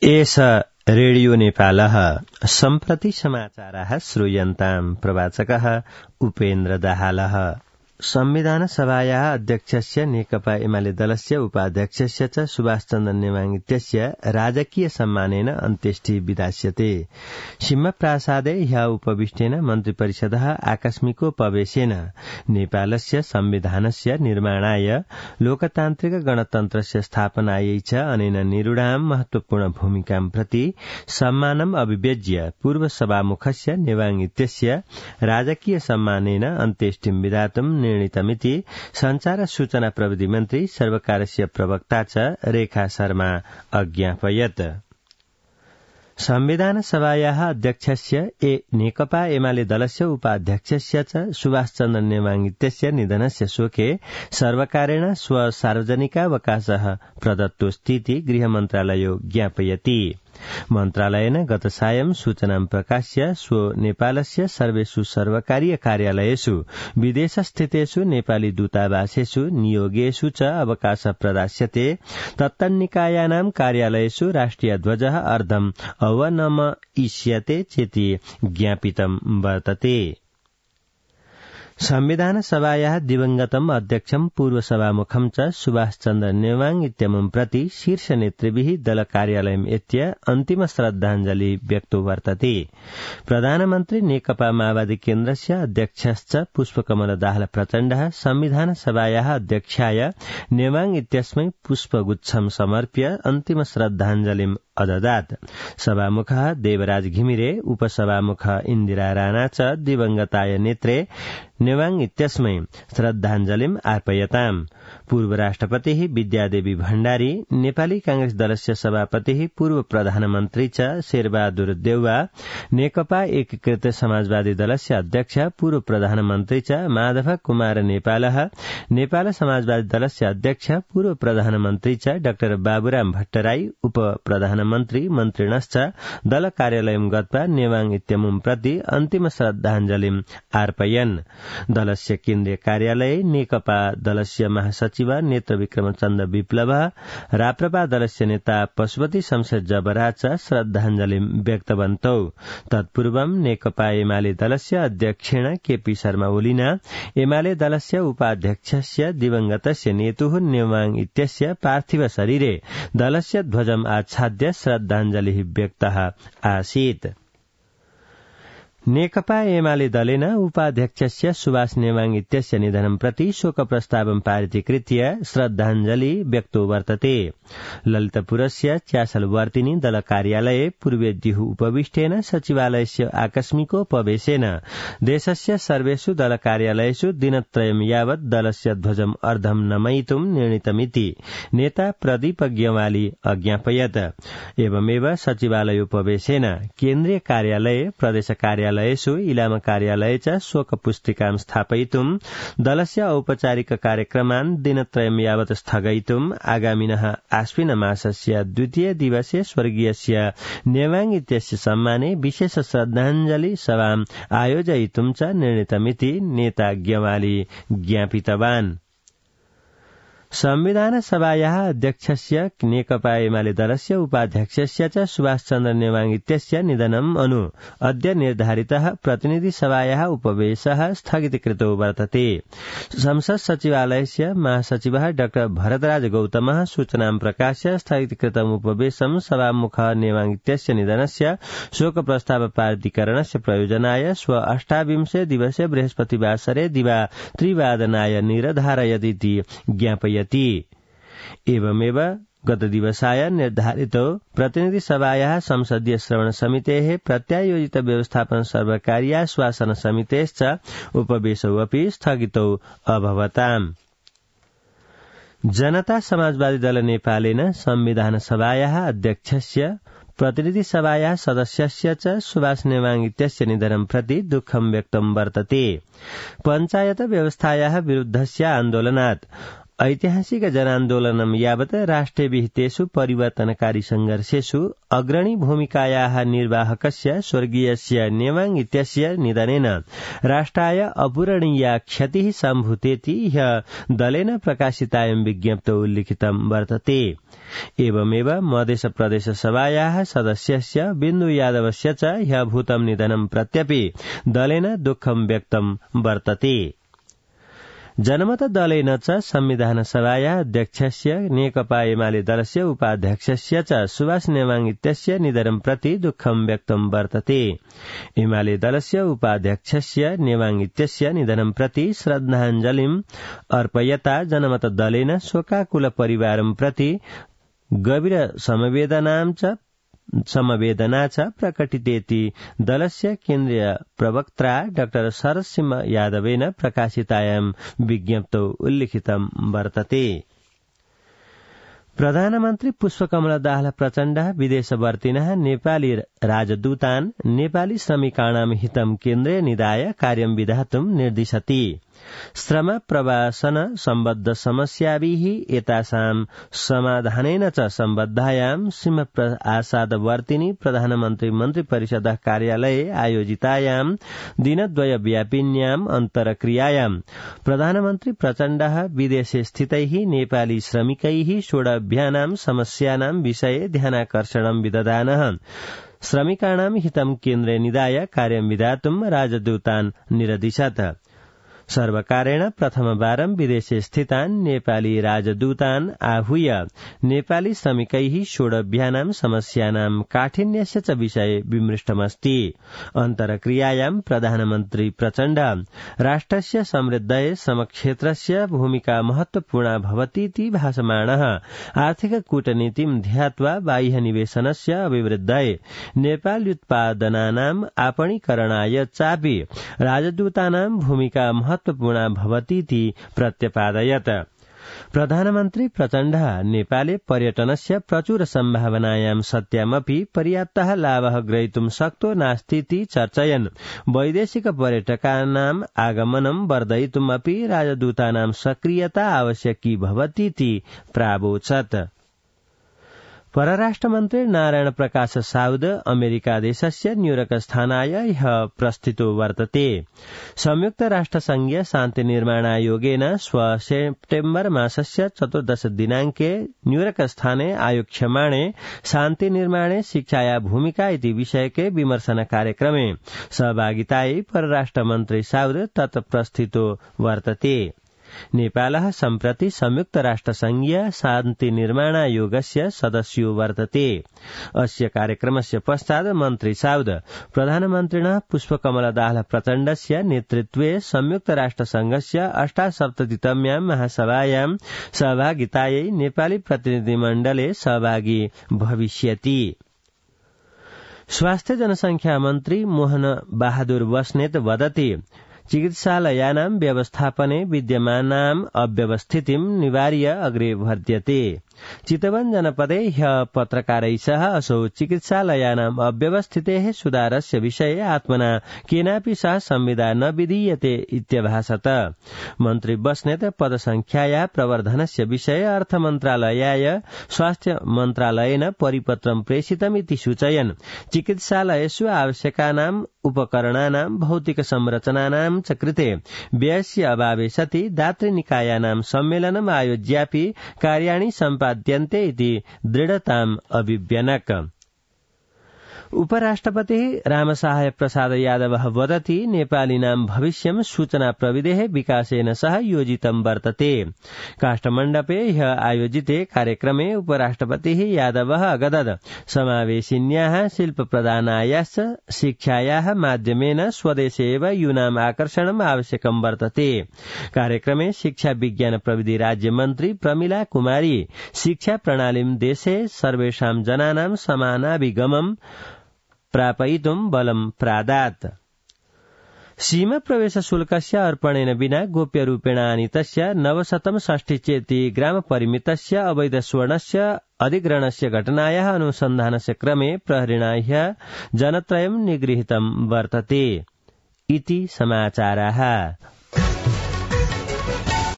एष रेडियो नेपालः सम्प्रति समाचाराः श्रूयन्ताम् प्रवाचकः उपेन्द्र दाहालः। संविधान सभायाः अध्यक्षस्य नेकपा एमाले दलस्य उपाध्यक्षस्य च सुभाष चन्द्र नेवाङ इत्यस्य राजकीय सम्मानेन अन्त्येष्टि विधास्यते। सिंहप्रासादे ह्यः उपविष्टेन मन्त्रिपरिषदः आकस्मिकोपवेशेन नेपालस्य संविधानस्य निर्माणाय लोकतान्त्रिक गणतन्त्रस्य स्थापनायै च अनेन निरूढां महत्वपूर्ण भूमिकां प्रति सम्मानम् अभिव्यज्य पूर्व सभामुखस्य नेवाङ इत्यस्य राजकीय सम्मानेन अन्त्येष्टिं विधातुं निर्णीतमिति संचार सूचना प्रविधि मन्त्री सर्वकारस्य प्रवक्ता च रेखा शर्मा अज्ञापयत्। संविधान सभायाः अध्यक्षस्य नेकपा एमाले दलस्य उपाध्यक्षस्य च सुभाष चन्द्र नेवाङ इत्यस्य निधनस्य शोके सर्वकारेण सार्वजनिकावकाशः प्रदत्तोऽस्तीति गृहमन्त्रालयो ज्ञापयति। मन्त्रालयेन गत सायं सूचनां प्रकाश्य स्वो नेपालस्य सर्वेषु सर्वकारीय कार्यालयेषु विदेशस्थितेषु नेपाली दूतावासेषु नियोगेषु च अवकाश प्रदास्यते। तत्तन्निकायानां कार्यालयेषु राष्ट्रिय ध्वजः अर्धम् अवनमयिष्यते चेति ज्ञापितं वर्तते। संविधान सभायाः दिवंगतम् अध्यक्षम् पूर्व सभामुखम् च सुभाष चन्द्र नेवाङ इत्यमुं प्रति शीर्ष नेतृभिः दल कार्यालयम् एत्य अन्तिम श्रद्धाञ्जलि व्यक्तो वर्तते। प्रधानमन्त्री नेकपा माओवादी केन्द्रस्य अध्यक्षश्च पुष्पकमल दाहाल प्रचण्डः संविधान सभायाः अध्यक्षाय नेवाङ इत्यस्मै पुष्पगुच्छं समर्प्य अन्तिम श्रद्धाञ्जलिम् अददात्। सभामुखः देवराज घिमिरे उपसभामुख इन्दिरा राणा च दिवंगताय नेत्रे नेवाङ इत्यस्मै श्रद्धाञ्जलिम् अर्पयताम्। पूर्व राष्ट्रपतिः विद्यादेवी भण्डारी, नेपाली कांग्रेस दलस्य सभापतिः पूर्व प्रधानमन्त्री च शेरबहादुर देउवा, नेकपा एकीकृत समाजवादी दलस्य अध्यक्ष पूर्व प्रधानमन्त्री च माधव कुमार नेपालः, नेपाल समाजवादी दलस्य अध्यक्ष पूर्व प्रधानमन्त्री च डाक्टर बाबुराम भट्टराई, उप प्रधानमन्त्री मन्त्रिणश्च दल कार्यालयं गत्वा नेवाङ इत्यमुं प्रति अन्तिम श्रद्धाञ्जलिम् अर्पयन्। दलस्य केन्द्रीय कार्यालये नेकपा दलस्य महासचिव नेत्र विक्रमचन्द्र विप्लव, राप्रपा दलस्य नेता पशुपति शमशेर जबरा च श्रद्धाञ्जलिम् व्यक्तवन्तौ। तत्पूर्वं नेकपा एमाले दलस्य अध्यक्षेण केपी शर्मा ओलीना, एमाले दलस्य उपाध्यक्षस्य दिवंगतस्य नेतुः नेवाङ इत्यस्य पार्थिव शरीरे दलस्य ध्वजम् आच्छाद्य श्रद्धाञ्जलिः व्यक्तः आसीत्। नेकपा एमाले दलेन उपाध्यक्षस्य सुभाष नेवाङ इत्यस्य निधनं प्रति शोक प्रस्तावं पारितीकृत्य श्रद्धाञ्जलि व्यक्तो वर्तते। ललितपुरस्य च्यासलवर्तिनी दल कार्यालये पूर्वेद्युः उपविष्टेन सचिवालयस्य आकस्मिकोपवेशेन देशस्य सर्वेषु दल कार्यालयेषु दिनत्रयं यावत् दलस्य ध्वजम् अर्धं नमयितुं निर्णीतमिति नेता प्रदीप ग्यवाली अज्ञापयत्। एवमेव सचिवालयोपवेशेन केन्द्रीय कार्यालये, प्रदेश कार्यालयेषु, इलाम कार्यालये च शोक पुस्तिकां स्थापयितुं, दलस्य औपचारिक कार्यक्रमान् दिनत्रयं यावत् स्थगयितुं, आगामिनः आश्विन मासस्य द्वितीय दिवसे स्वर्गीयस्य नेवाङ इत्यस्य सम्माने विशेष श्रद्धाञ्जलि सभाम् आयोजयितुं च निर्णीतमिति नेता ग्यवाली ज्ञापितवान्। संविधान सभायाः अध्यक्षस्य नेकपा एमाले दलस्य उपाध्यक्षस्य च सुभाष चन्द्र नेवाङ इत्यस्य निधनम् अनु अद्य निर्धारितः प्रतिनिधि सभायाः उपवेशः स्थगितीकृतो वर्तते। संसद सचिवालयस्य महासचिवः डाक्टर भरतराज गौतमः सूचनां प्रकाश्य स्थगितीकृतम् उपवेशं सभामुख नेवाङ इत्यस्य निधनस्य शोक प्रस्ताव पारितीकरणस्य प्रयोजनाय श्व 28 दिवसे बृहस्पतिवासरे दिवा 3 निर्धारयदिति ज्ञापयति। एवमेव गत दिवसाय निर्धारितो प्रतिनिधि सभायाः संसदीय श्रवण समितेः प्रत्यायोजित व्यवस्थापन सर्वकार्याश्वासन समितेश्च उपवेशौ अपि स्थगितौ अभवताम्। जनता समाजवादी दल नेपालेन संविधान सभायाः अध्यक्षस्य प्रतिनिधि सभायाः सदस्यस्य च सुभाष नेवाङ इत्यस्य निधनं प्रति दुःखं व्यक्तं वर्तते। पञ्चायत व्यवस्थायाः विरुद्धस्य आन्दोलनात् ऐतिहासिक जनान्दोलनं यावत् राष्ट्रविहितेषु परिवर्तनकारी संघर्षेषु अग्रणी भूमिकायाः निर्वाहकस्य स्वर्गीयस्य नेवाङ इत्यस्य निधनेन राष्ट्राय अपूरणीया क्षतिः सम्भूतेति ह्यः दलेन प्रकाशितायां विज्ञप्तौ उल्लिखितं वर्तते। एवमेव मधेस प्रदेश सभायाः सदस्यस्य बिन्दु यादवस्य च ह्यः भूतं निधनं प्रत्यपि दलेन दुःखं व्यक्तं वर्तते। जनमत दलेन च संविधान सभायाः अध्यक्षस्य नेकपा एमाले दलस्य उपाध्यक्षस्य च सुभाष नेवाङ इत्यस्य निधनं प्रति दुःखं व्यक्तं वर्तते। एमाले दलस्य उपाध्यक्षस्य नेवाङ इत्यस्य निधनं प्रति श्रद्धाञ्जलिम् अर्पयता जनमत दलेन शोकाकुल परिवारं प्रति गभीर समवेदना च प्रकटितेति दलस्य केन्द्रीय प्रवक्त्रा डाक्टर शरद सिंह यादवेन प्रकाशितायां विज्ञप्तौ उल्लिखितं वर्तते। प्रधानमन्त्री पुष्पकमल दाहाल प्रचण्ड विदेशवर्तिनः नेपाली राजदूतान् नेपाली श्रमिकाणां हितं केन्द्रे निधाय कार्यं विधातुं निर्दिशति। श्रम प्रवासन सम्बद्ध समस्याभिः एतासां समाधानेन च सम्बद्धायां सिंहप्रसादवर्तिनी प्रधानमन्त्री मन्त्रिपरिषदः कार्यालये आयोजितायां दिनद्वयव्यापिन्याम् अन्तरक्रियायां प्रधानमन्त्री प्रचण्डः विदेशे स्थितैः नेपाली श्रमिकैः षोडभ्यानां समस्यानां विषये ध्यानाकर्षणं विदधानः श्रमिकाणां हितं केन्द्रे निधाय कार्यं विधातुं राजदूतान् निरदिशत्। सर्वकारेण प्रथमवारं विदेशे स्थितान् नेपाली राजदूतान् आहूय नेपाली श्रमिकैः षोडभ्यानां समस्यानां काठिन्यस्य च विषये विमृष्टमस्ति। अन्तरक्रियायां प्रधानमन्त्री प्रचण्ड राष्ट्रस्य समृद्धये श्रमक्षेत्रस्य भूमिका महत्वपूर्णा भवतीति भाषमाणः आर्थिक कूटनीतिं ध्यात्वा बाह्य निवेशनस्य अभिवृद्धये नेपाल्युत्पादनानाम् आपणीकरणाय चापि राजदूतानां भूमिका महत्वपूर्णा भवतीति प्रत्यपादयत्। प्रधानमन्त्री प्रचण्डः नेपाले पर्यटनस्य प्रचुर सम्भावनायां सत्यामपि पर्याप्तः लाभः ग्रहीतुं शक्तो नास्तीति चर्चयन् वैदेशिक पर्यटकानाम् आगमनं वर्धयितुम् अपि राजदूतानां सक्रियता आवश्यकी भवतीति प्रावोचत्। परराष्ट्रमन्त्री नारायण प्रकाश साउद अमेरिका देशस्य न्यूयॉर्क स्थानाय ह्यः प्रस्थितो वर्तते। संयुक्त राष्ट्रसंघीय शान्ति निर्माणायोगेन सेप्टेम्बर मासस्य 14 दिनाङ्के न्यूयॉर्क स्थाने आयोक्ष्यमाणे शान्ति निर्माणे शिक्षाया भूमिका इति विषयके विमर्शन कार्यक्रमे सहभागितायै परराष्ट्रमन्त्री साउद तत्प्रस्थितो वर्तते। नेपालः सम्प्रति संयुक्त राष्ट्रसंघीय शान्ति निर्माणायोगस्य सदस्यो वर्तते। अस्य कार्यक्रमस्य पश्चात् मन्त्री साउद प्रधानमन्त्रिणः पुष्पकमल दाहाल प्रचण्डस्य नेतृत्वे संयुक्त राष्ट्रसंघस्य 78तम्यां महासभायां सहभागितायै नेपाली प्रतिनिधिमण्डले सहभागी भविष्यति। स्वास्थ्य जनसंख्या मन्त्री मोहन बहादुर बस्नेत वदति चिकित्सालयानां व्यवस्थापने विद्यमानाम् अव्यवस्थितिं निवार्य अग्रे वर्ध्यते। चितवन जनपदे ह्यः पत्रकारैः सह असौ चिकित्सालयानाम् अव्यवस्थितेः सुधारस्य विषये आत्मना केनापि सह संविदा न विधीयते इत्यभाषत। मन्त्री बस्नेत पदसंख्यायाः प्रवर्धनस्य विषये अर्थमन्त्रालयाय स्वास्थ्य मन्त्रालयेन परिपत्रं प्रेषितमिति सूचयन् चिकित्सालयेषु आवश्यकानाम् उपकरणानां भौतिक संरचनानां च कृते व्ययस्य अभावे सति दातृनिकायानां सम्मेलनम् आयोज्यापि कार्याणि सम्पाद्यन्ते इति दृढताम् अभिव्यनक। उपराष्ट्रपतिः रामसहाय प्रसाद यादवः वदति नेपालीनां भविष्यं सूचना प्रविधेः विकासेन सह योजितं वर्तते। काष्ठमण्डपे ह्यः आयोजिते कार्यक्रमे उपराष्ट्रपतिः यादवः अगदत् समावेशिन्याः शिल्प प्रदानायाश्च शिक्षायाः माध्यमेन स्वदेशे एव यूनाम् आकर्षणम् आवश्यकं वर्तते। कार्यक्रमे शिक्षा विज्ञान प्रविधि राज्यमन्त्री प्रमिला कुमारी शिक्षा प्रणालीं देशे सर्वेषां जनानां समानाभिगमम् प्रापयितुं बलं प्रादात्। सीमा प्रवेश शुल्कस्य अर्पणेन विना गोप्यरूपेण आनीतस्य 960 चेति ग्राम परिमितस्य अवैध स्वर्णस्य अधिग्रहणस्य घटनायाः अनुसन्धानस्य क्रमे प्रहरिणा ह्यः जनत्रयं निगृहीतं वर्तते इति समाचाराः।